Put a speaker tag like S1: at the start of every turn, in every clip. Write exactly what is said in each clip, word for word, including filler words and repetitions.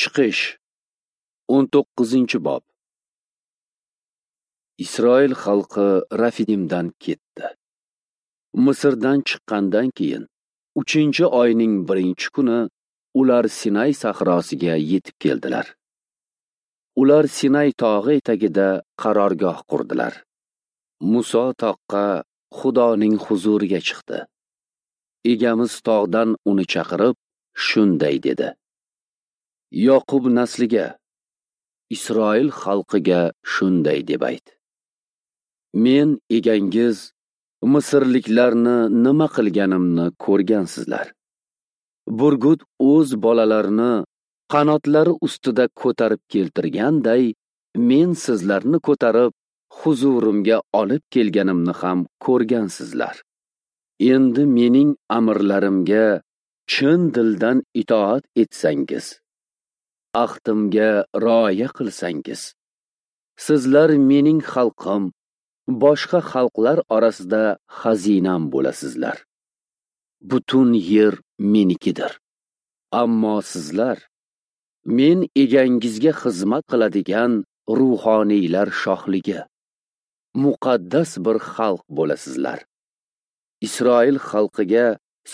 S1: Chiqish o'n to'qqizinchi bob. Isroil xalqi Rafidimdan ketdi. Misrdan chiqqandan keyin uchinchi oyning birinchi kuni ular Sinay sahrosiga yetib keldilar. Ular Sinay tog'i etagida qarorgoh qurdilar. Muso toqqa Xudoning huzuriga chiqdi. Egamiz tog'dan uni chaqirib, shunday dedi: Yoqub nasliga, Isroil xalqiga shunday deb ayt: Men egangiz Misrliklarni nima qilganimni ko'rgansizlar. Burgut o'z bolalarini qanotlari ustida ko'tarib keltirganday, men sizlarni ko'tarib huzurimga olib kelganimni ham ko'rgansizlar. Endi mening amrlarimga chin dildan itoat etsangiz, ahdimga rioya qilsangiz, sizlar mening xalqim, boshqa xalqlar orasida xazinam bo'lasizlar. Butun yer menikidir. Ammo sizlar men egangizga xizmat qiladigan ruhoniylar shohligi, muqaddas bir xalq bo'lasizlar. Isroil xalqiga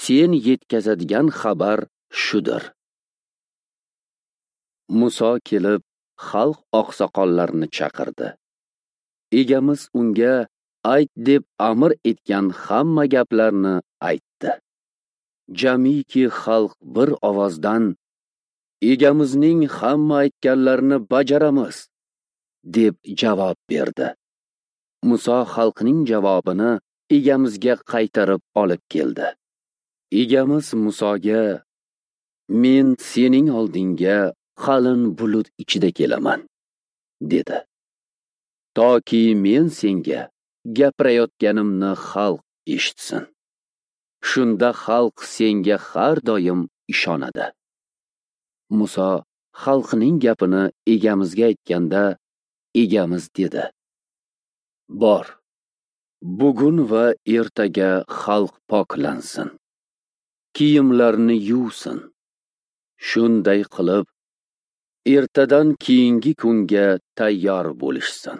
S1: sen yetkazadigan xabar shudir. Muso kelib xalq oqsoqollarini chaqirdi. Egamiz unga ayt deb amr etgan hamma gaplarni aytdi. Jamiki xalq bir ovozdan Egamizning hamma aytganlarini bajaramiz deb javob berdi. Muso xalqning javobini egamizga qaytarib olib keldi. Egamiz Musoga: Men sening oldingga qalin bulut ichida kelaman, dedi. Toki men senga gapirayotganimni xalq eshitsin. Shunda xalq senga har doim ishonadi. Muso xalqning gapini egamizga aytganda, egamiz dedi: Bor, bugun va ertaga xalq poklansin, kiyimlarini yuvsin. Shunday qilib, ertadan keyingi kunga tayyor bo'lishsin.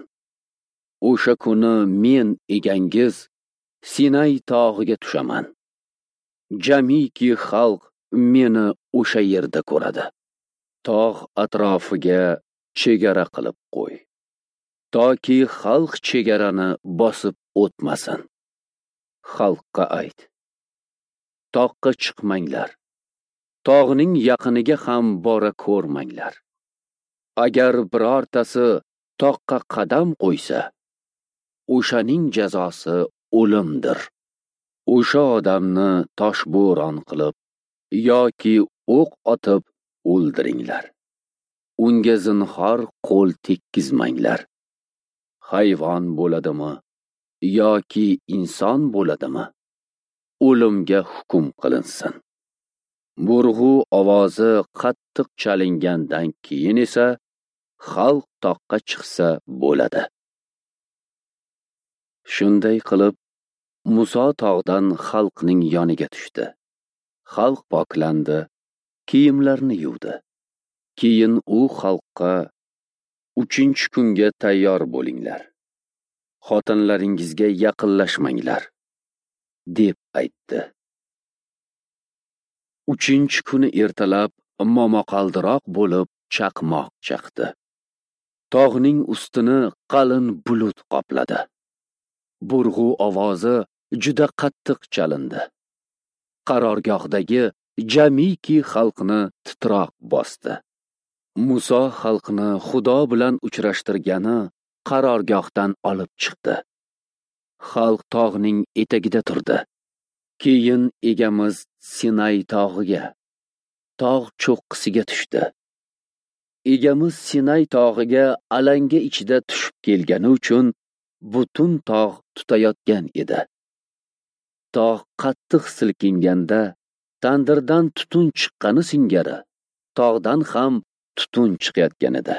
S1: O'sha kuni men egangiz Sinay tog'iga tushaman. Jamiki xalq meni o'sha yerda ko'radi. Tog' atrofiga chegara qilib qo'y, toki xalq chegarani bosib o'tmasin. Xalqqa ayt: Toqqa chiqmanglar, tog'ning yaqiniga ham bora ko'rmanglar. Agar birortasi toqqa qadam qo'ysa, o'shaning jazosi o'limdir. O'sha odamni toshbo'ron qilib yoki o'q otib o'ldiringlar. Unga zinhor qo'l tekkizmanglar. Hayvon bo'ladimi yoki inson bo'ladimi, o'limga hukm qilinsin. Burg'u ovozi qattiq chalingandan keyin esa xalq toqqa chiqsa bo'ladi. Shunday qilib, Muso tog'dan xalqning yoniga tushdi. Xalq poklandi, kiyimlarini yuvdi. Keyin u xalqqa: Uchinchi kunga tayyor bo'linglar. Xotinlaringizga yaqinlashmanglar, deb aytdi. Uchinchi kuni ertalab momaqaldiroq bo'lib chaqmoq chaqdi. Tog'ning ustini qalin bulut qopladi. Burg'u ovozi juda qattiq chalindi. Qarorgohdagi jamiki xalqni titroq bosdi. Muso xalqni Xudo bilan uchrashtirgani qarorgohdan olib chiqdi. Xalq tog'ning etagida turdi. Keyin egamiz Sinay tog'iga, tog' cho'qqisiga tushdi. Egamiz Sinay tog'iga alanga ichida tushib kelgani uchun butun tog' tutayotgan edi. Tog' qattiq silkinganda tandirdan tutun chiqqani singari tog'dan ham tutun chiqayotgan edi.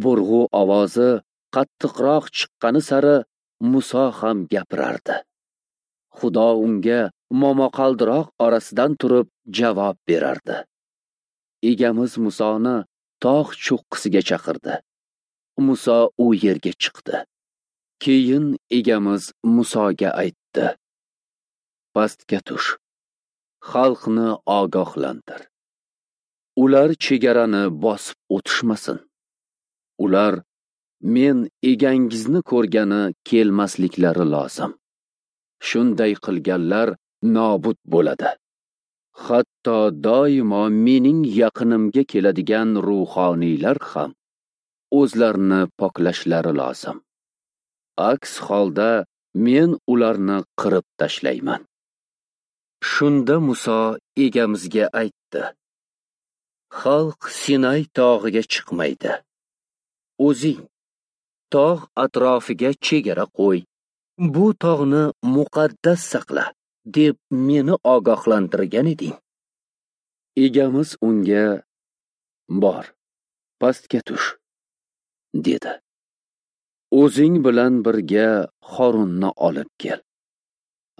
S1: Burg'u ovozi qattiqroq chiqqani sari Muso ham gapirardi. Xudo unga momaqaldiroq orasidan turib javob berardi. Egamiz Musoni tog' cho'qqisiga chaqirdi. Muso u yerga chiqdi. Keyin Egamiz Musoga aytdi: Pastga tush, xalqni ogohlantir. Ular chegarani bosib o'tishmasin. Ular men egangizni ko'rgani kelmasliklari lozim. Shunday qilganlar nobud bo'ladi. Hatto doimo mening yaqinimga keladigan ruhoniylar ham o'zlarini poklashlari lozim. Aks holda men ularni qirib tashlayman. Shunda Muso Egamizga aytdi: Xalq Sinay tog'iga chiqmaydi. O'zing tog' atrofiga chegara qo'y. Bu tog'ni muqaddas saqla, deb meni ogohlantirgan eding. Egamiz unga: Bor, pastga tush, dedi. O'zing bilan birga Xorunni olib kel.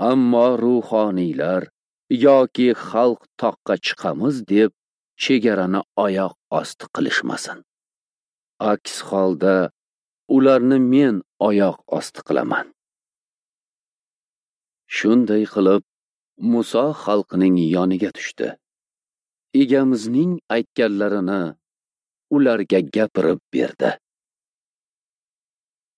S1: Ammo ruhoniylar yoki xalq toqqa chiqamiz deb chegarani oyoq osti qilishmasin. Aks holda ularni men oyoq osti qilaman. Shunday qilib Muso xalqning yoniga tushdi. Egamizning aytganlarini ularga gapirib berdi.